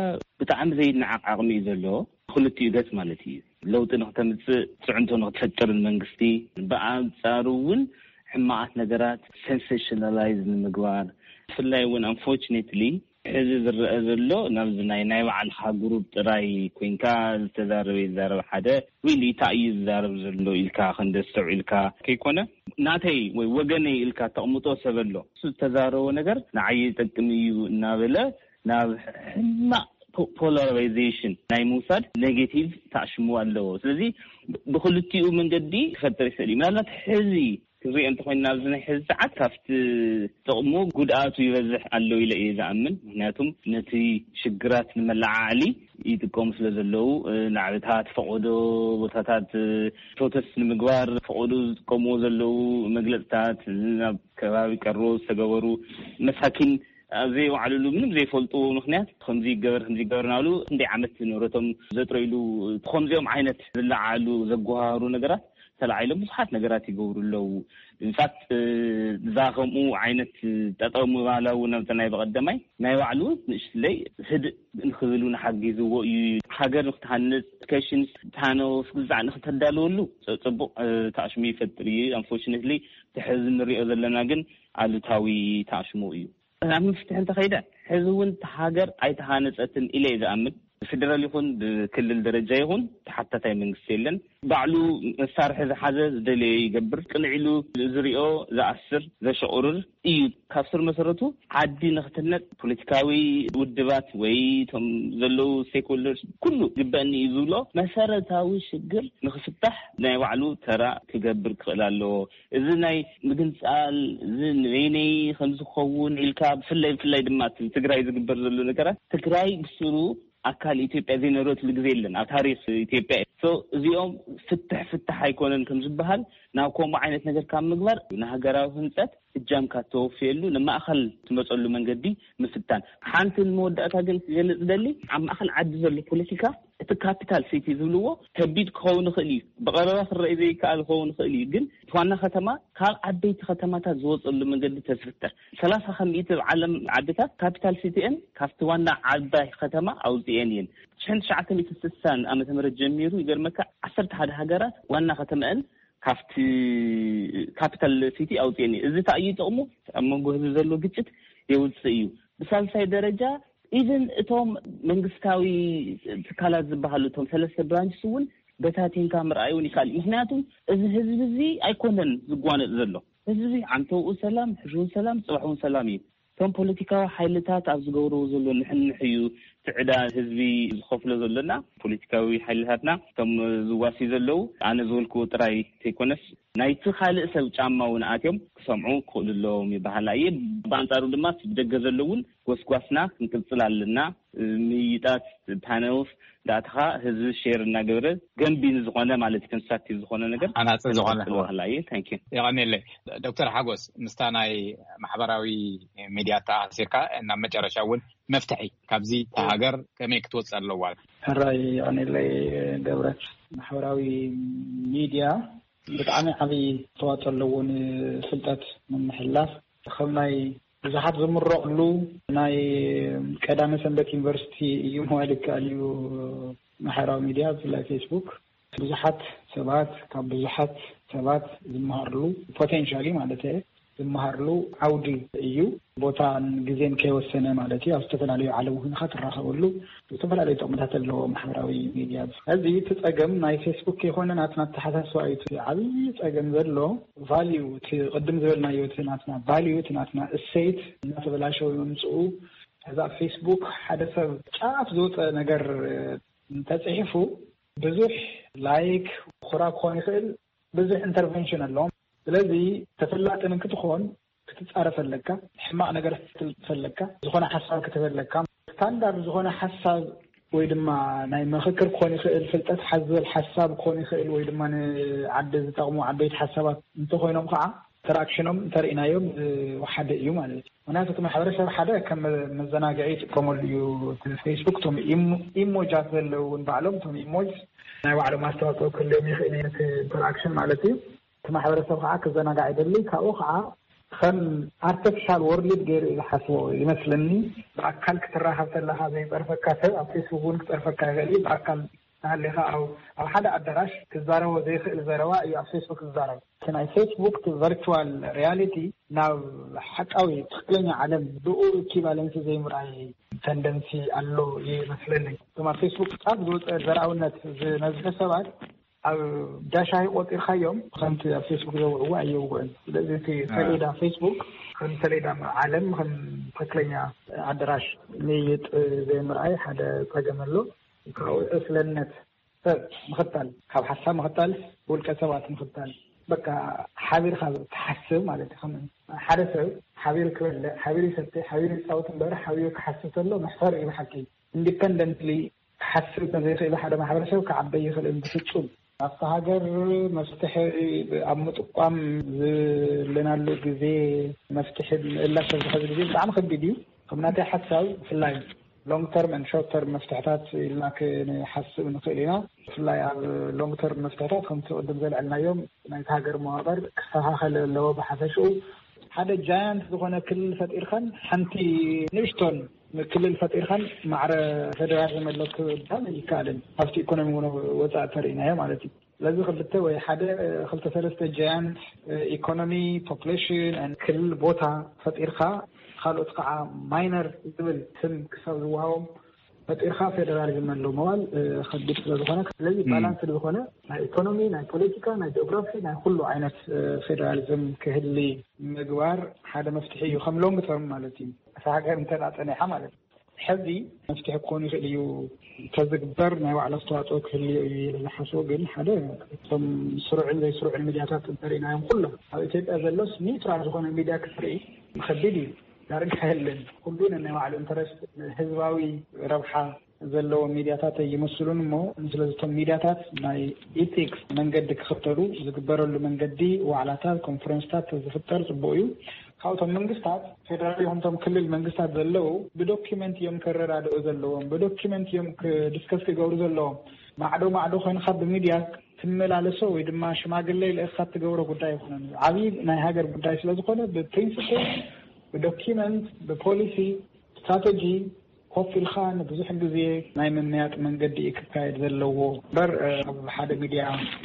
ብጣዕሚ ዘይነዓቕ ዓቕሚ እዩ ዘለዎ፣ ክልቲኡ ገጽ ማለት እዩ። ለውጢ ንክተምጽእ፣ ጽዕንቶ ንክትፈጥርን መንግስቲ፣ ብኣንጻሩ እውን ሕማቓት ነገራት ሰንሴሽናላይዝ ንምግባር፣ ብፍላይ እውን ኣንፎርችኔትሊ ሕዚ ዝረአ ዘሎ ናብዚ ናይ ናይ ባዕልኻ ግሩፕ ጥራይ ኮይንካ ዝተዛረበ ይዛረብ ሓደ ወይ ሊታ እዩ ዝዛረብ ዘሎ ኢልካ ክንዲ ኣስተውዒልካ ከይኮነ ናተይ ወይ ወገነይ ኢልካ ተቕምጦ ሰብ ኣሎ። እሱ ዝተዛረቦ ነገር ንዓይ ይጠቅም እዩ እናበለ ናብ ሕማቕ ፖ- ፖላራይዜሽን ናይ ምውሳድ ኔጌቲቭ ተኣሽሙ ኣለዎ። ስለዚ ብክልቲኡ መንገዲ ክፈጥር ይኽእል እዩ። ምናልባት ሕዚ ክንሪኦ እንተኮይና ኣብዚ ናይ ሕዚ ሰዓት ካብቲ ጥቕሙ ጉድኣቱ ይበዝሕ ኣሎ ኢለ እየ ዝኣምን። ምክንያቱም ነቲ ሽግራት ንመለዓዕሊ ይጥቀሙ ስለ ዘለዉ፣ ናዕብታት፣ ፈቐዶ ቦታታት፣ ፕሮተስት ንምግባር ፈቐዶ ዝጥቀምዎ ዘለዉ መግለፅታት፣ ናብ ከባቢ ቀሮ ዝተገበሩ መሳኪን ኣብ ዘይወዓልሉ ምንም ዘይፈልጥዎ ምክንያት ከምዚ ይገበር ከምዚ ይገበር ናሉ ክንደይ ዓመት ንብረቶም ዘጥረይሉ ከምዚኦም ዓይነት ዝለዓሉ ዘጓሃሩ ነገራት ተላዒሎም ብዙሓት ነገራት ይገብሩ ኣለዉ። ኢንፋክት እዛ ከምኡ ዓይነት ጠጠው ምባላ እውን ኣብቲ ናይ በቐደማይ ናይ ባዕሉ ንእሽትለይ ህድእ ንክብል እውን ሓጊዝዎ እዩ። ሃገር ንክትሃንጽ፣ ኤዱኬሽን፣ ታነውስ ግዛዕ ንክተዳልወሉ ጽ-፣ ጽቡቕ፣ እ፣ ታዕሽሙ ይፈጥር እዩ። ኣንፎርቹኔትሊ፣ ድሕዚ ንሪኦ ዘለና ግን ኣሉታዊ ታዕሽሙ እዩ። ኣብ መፍትሒ እንተኸይደ፣ ሕዚ እውን እታ ሃገር ኣይተሃነጸትን ኢለ እየ ዝኣምን። ብፌደራል ይኹን ብክልል ደረጃ ይኹን ተሓታታይ መንግስቲ የለን። ባዕሉ መሳርሒ ዝሓዘ ዝደለዮ ይገብር። ቅንዕ ኢሉ ዝሪኦ ዝኣስር፣ ዘሸቑርር እዩ። ካብ ስር መሰረቱ ዓዲ ንክትህነጽ ፖለቲካዊ ውድባት ወይ እቶም ዘለዉ ስቴክሆልደርስ ኩሉ ግበእኒ እዩ ዝብሎ መሰረታዊ ሽግር ንክፍታሕ ናይ ባዕሉ ተራ ክገብር ክኽእል ኣለዎ። እዚ ናይ ምግንጻል፣ እዚ ንበይነይ ከም ዝኸውን ኢልካ ብፍላይ፣ ብፍላይ ድማ እቲ ትግራይ ዝግበር ዘሎ ነገራት፣ ትግራይ ብስሩ ኣካል ኢትዮጵያ ዘይነበረትሉ ግዜ የለን ኣብ ታሪኽ ኢትዮጵያ። ሶ እዚኦም ፍትሕ ፍትሕ ኣይኮነን ከም ዝበሃል ናብ ከምኡ ዓይነት ነገር ካብ ምግባር ንሃገራዊ ህንጸት እጃምካ ተወፍየሉ ንማእኸል ትመጸሉ መንገዲ ምፍታን። ሓንቲ ንመወዳእታ ግን ክገልጽ ደሊ ኣብ ማእኸል ዓዲ ዘሎ ፖለቲካ እቲ ካፒታል ሲቲ ዝብልዎ ከቢድ ክኸውን ይኽእል እዩ፣ ብቐረባ ክረኣይ ዘይከኣል ክኸውን ይኽእል እዩ። ግን እቲ ዋና ከተማ ካብ ዓበይቲ ከተማታት ዝወጸሉ መንገዲ ተዝፍጠር፣ ሰላሳ ከሚእቲ ኣብ ዓለም ዓድታት ካፒታል ሲቲኤን ካብቲ ዋና ዓባይ ከተማ ኣውፅኤን እየን። ሽሕን ትሽዓተ ሚእቲ ስሳን ዓመተ ምህረት ጀሚሩ ይገርመካ ዓሰርተ ሓደ ሃገራት ዋና ከተመአን ካብቲ ካፒታል ሲቲ ኣውፅኤን እየን። እዚ እንታይ እዩ ጥቕሙ? ኣብ መንጎ ህዝቢ ዘሎ ግጭት የውፅእ እዩ። ብሳልሳይ ደረጃ ኢቨን እቶም መንግስታዊ ትካላት ዝበሃሉ እቶም ሰለስተ ብራንችስ እውን በታቲንካ ምርኣይ እውን ይካል። ምክንያቱም እዚ ህዝቢ እዚ ኣይኮነን ዝጓነጥ ዘሎ። ህዝቢ ዓንተውኡ ሰላም፣ ሕሽውን ሰላም፣ ፅባሕውን ሰላም እዩ። እቶም ፖለቲካዊ ሓይልታት ኣብ ዝገብርዎ ዘሎ ንሕንሕ እዩ ትዕዳ ህዝቢ ዝኸፍሎ ዘሎና። ፖለቲካዊ ሓይልታትና እቶም ዝዋሲ ዘለዉ ኣነ ዝበልክዎ ጥራይ ዘይኮነስ ናይቲ ካልእ ሰብ ጫማ እውን ኣትዮም ክሰምዑ ክኽእሉ ኣለዎም ይበሃል እየ። ብኣንጻሩ ድማ እቲ ብደገ ዘሎ እውን ጎስጓስና ክንቅጽል ኣለና። ምይይጣት ፓነልስ ዳእትኻ ህዝቢ ሼር እናገበረ ገንቢ ንዝኾነ ማለት ኮንስትራክቲቭ ዝኾነ ነገር ኣናጺ ዝኾነ ክነጥፍ እወ። በሃላ እየ። ታንክ ዩ። የቐኔለይ። ዶክተር ሓጎስ፣ ምስታ ናይ ማሕበራዊ ሚድያ ተኣሲርካ ናብ መጨረሻ እውን መፍትሒ ካብዚ እታ ሃገር ከመይ ክትወፅእ ኣለዋ? ሕራይ የቐኔለይ ገብረት። ማሕበራዊ ሚድያ ብጣዕሚ ዓብዪ ኣስተዋፅኦ ኣለዎ ንፍልጠት ንምሕላፍ። ከም ናይ ብዙሓት ዝምረቕሉ ናይ ቀዳመ ሰንበት ዩኒቨርሲቲ እዩ ምባል ይከኣል እዩ። ማሕበራዊ ሚድያ ብፍላይ ፌስቡክ ብዙሓት ሰባት ካብ ብዙሓት ሰባት ዝመሃርሉ ፖቴንሻሊ ማለት እየ ዝመሃርሉ ዓውዲ እዩ። ቦታን ግዜን ከይወሰነ ማለት እዩ። ኣብ ዝተፈላለዩ ዓለም ኮይንካ ትራኸበሉ ዝተፈላለዩ ጥቕምታት ኣለዎ ማሕበራዊ ሚድያ። እዚ እቲ ጸገም ናይ ፌስቡክ ከይኮነ ናትና ኣተሓሳስባ እዩ። እቲ ዓብዪ ጸገም ዘሎ ቫልዩ፣ እቲ ቅድም ዝበልናዮ እቲ ናትና ቫልዩ፣ እቲ ናትና እሴት እናተበላሸወ ምምፅኡ። ሕዚ ኣብ ፌስቡክ ሓደ ሰብ ጫፍ ዝወፀ ነገር እንተፅሒፉ ብዙሕ ላይክ፣ ኮራ ክኾን ይኽእል፣ ብዙሕ ኢንተርቨንሽን ኣለዎም። ስለዚ ተፈላጢ ንክትኾን ክትጻረፍ ኣለካ፣ ሕማቕ ነገር ክትልጥፍ ኣለካ፣ ዝኾነ ሓሳብ ክትህብ ኣለካ። ስታንዳርድ ዝኾነ ሓሳብ ወይ ድማ ናይ ምኽክር ክኾን ይኽእል፣ ፍልጠት ሓዘል ሓሳብ ክኾን ይኽእል፣ ወይ ድማ ንዓዲ ዝጠቕሙ ዓበይቲ ሓሳባት እንተኾይኖም ከዓ ኢንተራክሽኖም እንተርኢናዮም ዝወሓደ እዩ ማለት እዩ። ምክንያቱ እቲ ማሕበረሰብ ሓደ ከም መዘናግዒ ይጥቀመሉ እዩ። እቲ ፌስቡክ እቶም ኢሞ-፣ ኢሞጃት ዘለዉ እውን ባዕሎም እቶም ኢሞጅ ናይ ባዕሎም ኣስተዋፅኦ ክህልዮም ይኽእል እዩ፣ ነቲ ኢንተራክሽን ማለት እዩ። እቲ ማሕበረሰብ ከዓ ክዘናጋዕ ይደሊ። ካብኡ ከዓ ከም ኣርቲፊሻል ወርልድ ገይሩ እዩ ዝሓስቦ ይመስለኒ። ብኣካል ክትራኸብ ከለካ ዘይፀርፈካ ሰብ ኣብ ፌስቡክ እውን ክፀርፈካ ይኽእል እዩ። ብኣካል እናሃለኻ ኣብ፣ ኣብ ሓደ ኣዳራሽ ክዛረቦ ዘይኽእል ዘረባ እዩ ኣብ ፌስቡክ ዝዛረብ። እቲ ናይ ፌስቡክ እቲ ቨርቹዋል ሪያሊቲ ናብ ሓቃዊ ትክክለኛ ዓለም ብኡ ኢኪቫለንሲ ዘይምርኣይ ተንደንሲ ኣሎ ይመስለኒ። እቶም ኣብ ፌስቡክ ጫፍ ዝወፀ ዘርኣውነት ዝነዝሑ ሰባት ኣብ ዳሻሂ ቆፂርካዮም ከምቲ ኣብ ፌስቡክ ዘውዕዎ ኣየውግዕን። ስለዚ እቲ ሰሌዳ ፌስቡክ ከም ሰሌዳ ዓለም ከም ትክክለኛ ኣዳራሽ ምይይጥ ዘይምርኣይ ሓደ ፀገም ኣሎ። ካብኡ ዕስለነት ሰብ ምኽታል፣ ካብ ሓሳብ ምኽታል፣ ውልቀ ሰባት ምኽታል፣ በቃ ሓቢርካ ትሓስብ ማለት እዩ። ከም ሓደ ሰብ ሓቢሩ ክበልዕ፣ ሓቢሩ ይሰትሕ፣ ሓቢሩ ይፃወት እምበር ሓቢሩ ክሓስብ ከሎ መሕፈር እዩ ብሓቂ። ኢንዲፐንደንትሊ ክሓስብ ከም ዘይክእል ሓደ ማሕበረሰብ ክዓበይ ይኽእል ብፍፁም። ኣብታ ሃገር መፍትሒ ኣብ ምጥቋም ዘለናሉ ግዜ፣ መፍትሒ ምእላሽ ኣብዚ ሕዚ ግዜ ብጣዕሚ ከቢድ እዩ። ከም ናተይ ሓሳብ ብፍላይ ሎንግ ተርም ን ሾርት ተርም መፍትሕታት ኢልና ክንሓስብ ንኽእል ኢና። ብፍላይ ኣብ ሎንግ ተርም መፍትሕታት ከምቲ ቅድም ዘልዐልናዮም ናይቲ ሃገር መዋቕር ክስተኻኸል ኣለዎ። ብሓፈሽኡ ሓደ ጃያንት ዝኾነ ክልል ፈጢርካን ሓንቲ ንእሽቶን ክልል ፈጢርካን ማዕረ ፌደራል ዘመለክ ባን ይከኣልን ኣብቲ ኢኮኖሚ እውን ወፃእ ተርእናዮ ማለት እዩ። ስለዚ ክልተ ወይ ሓደ ክልተ ሰለስተ ጃያንት ኢኮኖሚ፣ ፖፕሌሽን፣ ክልል፣ ቦታ ፈጢርካ ካልኦት ከዓ ማይነር ዝብል ስም ክሳብ ዝወሃቦም ፈጢርካ ፌደራሊዝም ኣሎ መባል ከቢድ ስለዝኾነ፣ ስለዚ ባላንስ ዝኾነ ናይ ኢኮኖሚ፣ ናይ ፖለቲካ፣ ናይ ጂኦግራፊ፣ ናይ ኩሉ ዓይነት ፌደራሊዝም ክህሊ ምግባር ሓደ መፍትሒ እዩ ከም ሎንግ ተርም ማለት እዩ። እታ ሃገር እንተዳፀኒሓ ማለት እዩ። ሕዚ መፍትሒ ክኾኑ ይኽእል እዩ ተዝግበር ናይ ባዕሉ ኣስተዋፅኦ ክህልዮ እዩ ኢለ ዝሓስቦ ግን ሓደ እቶም ስሩዕን ዘይስሩዕን ሚድያታት እንተሪእናዮም ኩሎም ኣብ ኢትዮጵያ ዘሎስ ኒውትራል ዝኾነ ሚድያ ክትርኢ ከቢድ እዩ። ዳርጋ የለን። ኩሉ ነናይ ባዕሉ ኢንተረስት ህዝባዊ ረብሓ ዘለዎም ሚድያታት ኣይመስሉን እሞ ስለዚቶም ሚድያታት ናይ ኢቲክስ መንገዲ ክኽተሉ ዝግበረሉ መንገዲ ዋዕላታት ኮንፈረንስታት ዝፍጠር ፅቡቅ እዩ። ካብቶም መንግስታት ፌደራል ይኹንቶም ክልል መንግስታት ዘለዉ ብዶኪመንት እዮም ከረዳድኡ ዘለዎም ብዶኪመንት እዮም ክድስከስ ክገብሩ ዘለዎም። ማዕዶ ማዕዶ ኮይንካ ብሚድያ ትመላለሶ ወይ ድማ ሽማግለ ልእካ ትገብሮ ጉዳይ ይኮነን። ዓብዪ ናይ ሃገር ጉዳይ ስለዝኮነ ብፕሪንስፕል ብዶኪመንት ብፖሊሲ ስትራተጂ ኮፍ ኢልካ ንብዙሕ ግዜ ናይ ምምያጥ መንገዲ እዩ ክካየድ ዘለዎ እምበር ኣብ ሓደ ሚድያ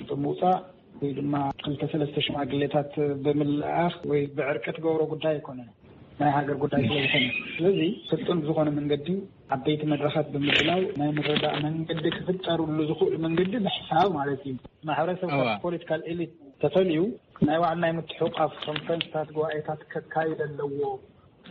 ብምውፃእ ወይ ድማ ክልተ ሰለስተ ሽማግሌታት ብምልኣኽ ወይ ብዕርቂ ትገብሮ ጉዳይ ኣይኮነን። ናይ ሃገር ጉዳይ ስለዝኮነ ስለዚ ስልጡን ብዝኮነ መንገዲ ዓበይቲ መድረካት ብምድላው ናይ ምርዳእ መንገዲ ክፍጠርሉ ዝኽእሉ መንገዲ ብሕሳብ ማለት እዩ። ማሕበረሰብ ፖለቲካል ኤሊት ተፈልዩ ናይ ባዕሉ ናይ ምትሕቋፍ ኮንፈረንስታት ጉባኤታት ከካይድ ኣለዎ።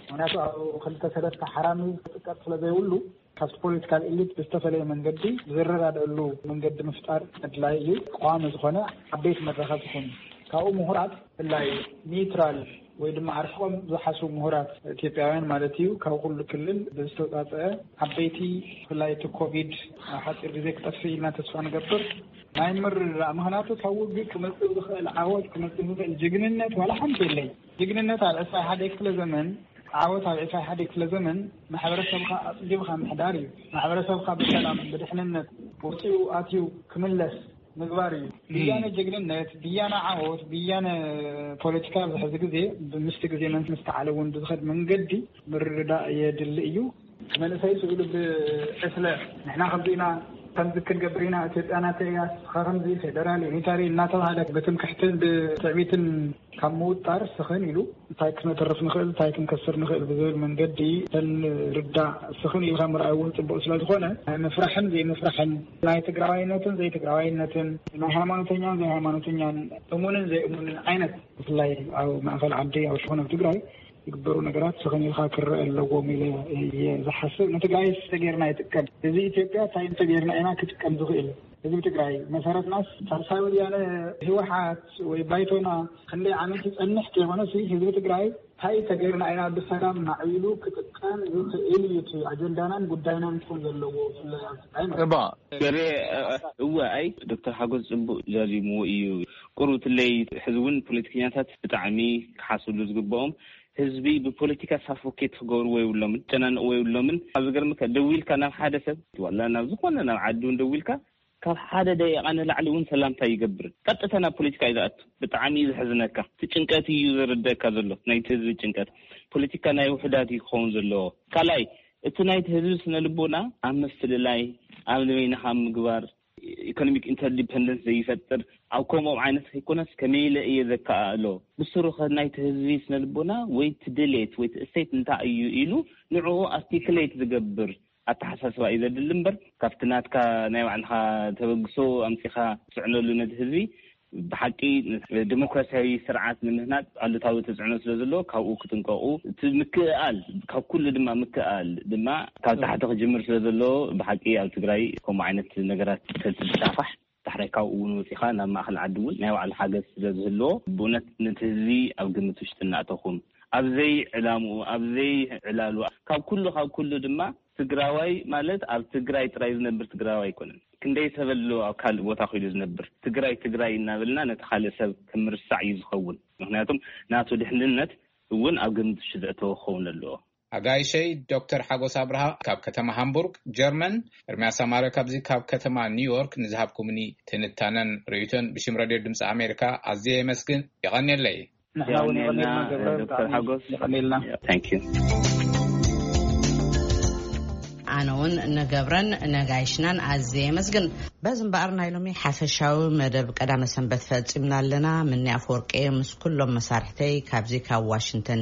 ምክንያቱ ኣብ ክልተ ሰለስተ ሓራሚ ክጥቀጥ ስለዘይብሉ ካብቲ ፖለቲካል ኤሊት ብዝተፈለየ መንገዲ ዝረዳደእሉ መንገዲ ምፍጣር ኣድላይ እዩ። ቀዋሚ ዝኾነ ዓበይቲ መድረኻት ዝኾኑ ካብኡ ምሁራት ብፍላይ ኒውትራል ወይ ድማ ኣርሒቆም ዝሓስቡ ምሁራት ኢትዮጵያውያን ማለት እዩ ካብ ኩሉ ክልል ብዝተውፃፀአ ዓበይቲ ብፍላይ እቲ ኮቪድ ኣብ ሓፂር ግዜ ክጠፍእ ኢልና ተስፋ ንገብር ናይ ምርዳእ ምክንያቱ ካብ ውግእ ክመፅእ ዝኽእል ዓወት ክመፅእ ዝኽእል ጅግንነት ዋላ ሓንቲ የለይ። ጅግንነት ኣብ ዕስራይ ሓደ ክፍለ ዘመን ዓወት ኣብ ዕስራይ ሓደ ክፍለ ዘመን ማሕበረሰብካ ኣፅቢብካ ምሕዳር እዩ። ማሕበረሰብካ ብሰላም ብድሕንነት ወፂኡ ኣትዩ ክምለስ ምግባር እዩ። ብያነ ጅግንነት ብያነ ዓወት ብያነ ፖለቲካ ኣብዚ ሕዚ ግዜ ብምስቲ ግዜ መን ምስተዓለ እውን ብዝኸድ መንገዲ ምርዳእ የድሊ እዩ። መንእሰይ ስእሉ ብዕስለ ንሕና ከምዚ ኢና ከምዚ ክንገብር ኢና ኢትዮጵያ ናተይ እያ ስኻ ከምዚ ፌደራል ዩኒታሪ እናተባሃለ ብትምክሕትን ብትዕቢትን ካብ ምውጣር ስኽን ኢሉ እንታይ ክነተርፍ ንኽእል እንታይ ክንከስር ንኽእል ብዝብል መንገዲ ተንርዳእ ስኽን ኢልካ ምርኣይ እውን ፅቡቅ ስለዝኾነ ናይ ምፍራሕን ዘይምፍራሕን ናይ ትግራዋይነትን ዘይትግራዋይነትን ናይ ሃይማኖተኛን ዘይሃይማኖተኛን እሙንን ዘይእሙንን ዓይነት ብፍላይ ኣብ ማእኸል ዓዲ ኣብ ሽኾነ ኣብ ትግራይ ዝግበሩ ነገራት ስኽን ኢልካ ክረአ ኣለዎም ኢለ እየ ዝሓስብ። ንትግራይ ተጌርና ይጥቀም ህዝቢ ኢትዮጵያ እንታይ እንተጌርና ኢና ክጥቀም ዝኽእል ህዝቢ ትግራይ መሰረትናስ ሳልሳይ ወያነ ህወሓት ወይ ባይቶና ክንደይ ዓመት ይፀንሕ ከይኮነሲ ህዝቢ ትግራይ እንታይ ተጌርና ኢና ብሰላም ማዕቢሉ ክጥቀም ዝኽእል እዩ እቲ ኣጀንዳናን ጉዳይናን ክኾን ዘለዎ ብፍላይ ኣብ ትግራይ ማለት እዩ። እባ ገሬ እወ ኣይ ዶክተር ሓጎስ ፅቡቅ ዛዚምዎ እዩ። ቁሩብ ትለይ ሕዚ እውን ፖለቲከኛታት ብጣዕሚ ክሓስብሉ ዝግብኦም ህዝቢ ብፖለቲካ ሳፎኬት ክገብርዎ የብሎምን ጨናንቅዎ የብሎምን። ኣብ ዝገርምካ ደዊልካ ናብ ሓደ ሰብ ዋላ ናብ ዝኾነ ናብ ዓዲ እውን ደዊልካ ካብ ሓደ ደቂቃ ንላዕሊ እውን ሰላምታ ይገብርን ቀጥታ ናብ ፖለቲካ እዩ ዝኣቱ። ብጣዕሚ እዩ ዘሕዝነካ። እቲ ጭንቀት እዩ ዘረደእካ ዘሎ ናይቲ ህዝቢ ጭንቀት። ፖለቲካ ናይ ውሑዳት እዩ ክኸውን ዘለዎ። ካልኣይ እቲ ናይቲ ህዝቢ ስነ ልቦና ኣብ ምፍልላይ ኣብ ንበይንኻ ምግባር ኢኮኖሚክ ኢንተርዲፐንደንስ ዘይፈጥር ኣብ ከምኦም ዓይነት ከይኮነስ ከመይ ኢለ እየ ዘከኣእሎ ብስሩ ከ ናይቲ ህዝቢ ስነ ልቦና ወይ እቲ ድሌት ወይ እቲ እሴት እንታይ እዩ ኢሉ ንዕኡ ኣርቲክሌት ዝገብር ኣተሓሳስባ እዩ ዘድሊ እምበር ካብቲ ናትካ ናይ ባዕልኻ ተበግሶ ኣምፂኻ ትፅዕነሉ ነቲ ህዝቢ ብሓቂ ዲሞክራሲያዊ ስርዓት ንምህናፅ ኣሉታዊ ተፅዕኖ ስለ ዘለዎ ካብኡ ክጥንቀቁ እቲ ምክእኣል ካብ ኩሉ ድማ ምክእኣል ድማ ካብ ታሕቲ ክጅምር ስለ ዘለዎ ብሓቂ ኣብ ትግራይ ከምኡ ዓይነት ነገራት ተዝስፋሕፋሕ ዳሕራይ ካብኡ እውን ወፂኻ ናብ ማእኸል ዓዲ እውን ናይ ባዕሉ ሓገዝ ስለ ዝህልዎ ብእውነት ነቲ ህዝቢ ኣብ ግምት ውሽጢ እናእተኹም ኣብ ዘይ ዕላምኡ ኣብ ዘይ ዕላሉ ካብ ኩሉ ካብ ኩሉ ድማ ትግራዋይ ማለት ኣብ ትግራይ ጥራይ ዝነብር ትግራዋይ ኣይኮነን። ክንደይ ሰብ ኣሎ ኣብ ካልእ ቦታ ከይዱ ዝነብር። ትግራይ ትግራይ እናበልና ነቲ ካልእ ሰብ ከም ምርሳዕ እዩ ዝኸውን። ምኽንያቱም ናቱ ድሕንነት እውን ኣብ ግምት ውሽጢ ዘእተወ ክኸውን ኣለዎ። ኣጋይሸይ ዶክተር ሓጎስ ኣብርሃ ካብ ከተማ ሃምቡርግ ጀርመን፣ ኤርምያስ ኣማረ ካብዚ ካብ ከተማ ኒውዮርክ ንዝሃብኩምኒ ትንታነን ርእይቶን ብሽም ረድዮ ድምፂ ኣሜሪካ ኣዝየ የመስግን። የቐንየለይ። ንሕና እውን የቐንየልና ገብረ፣ ብጣዕሚ የቐንየልና። Thank you። ኣነ እውን ንገብረን ነጋይሽናን ኣዝየ የመስግን። በዚ እምበኣር ናይ ሎሚ ሓፈሻዊ መደብ ቀዳመ ሰንበት ፈጺምና ኣለና። ምኒ ኣፈወርቂ ምስ ኩሎም መሳርሕተይ ካብዚ ካብ ዋሽንግተን